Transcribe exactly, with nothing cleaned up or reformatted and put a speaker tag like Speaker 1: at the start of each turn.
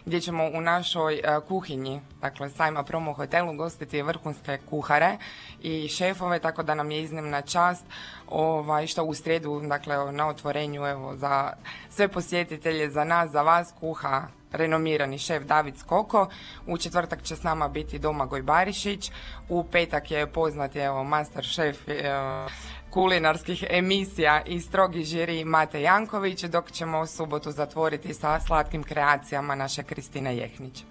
Speaker 1: gdje ćemo u našoj kuhinji, dakle sajma Promo hotelu, gostiti vrhunske kuhare i šefove, tako da nam je iznimna čast ovaj, što u srijedu, dakle na otvorenju, evo, za sve posjetitelje, za nas, za vas, kuha renomirani šef David Skoko. U četvrtak će s nama biti Domagoj Barišić, u petak je poznati, evo, master šef e, kulinarskih emisija i strogi žiri Mate Janković, dok ćemo u subotu zatvoriti sa slatkim kreacijama naše Kristine Jehnić.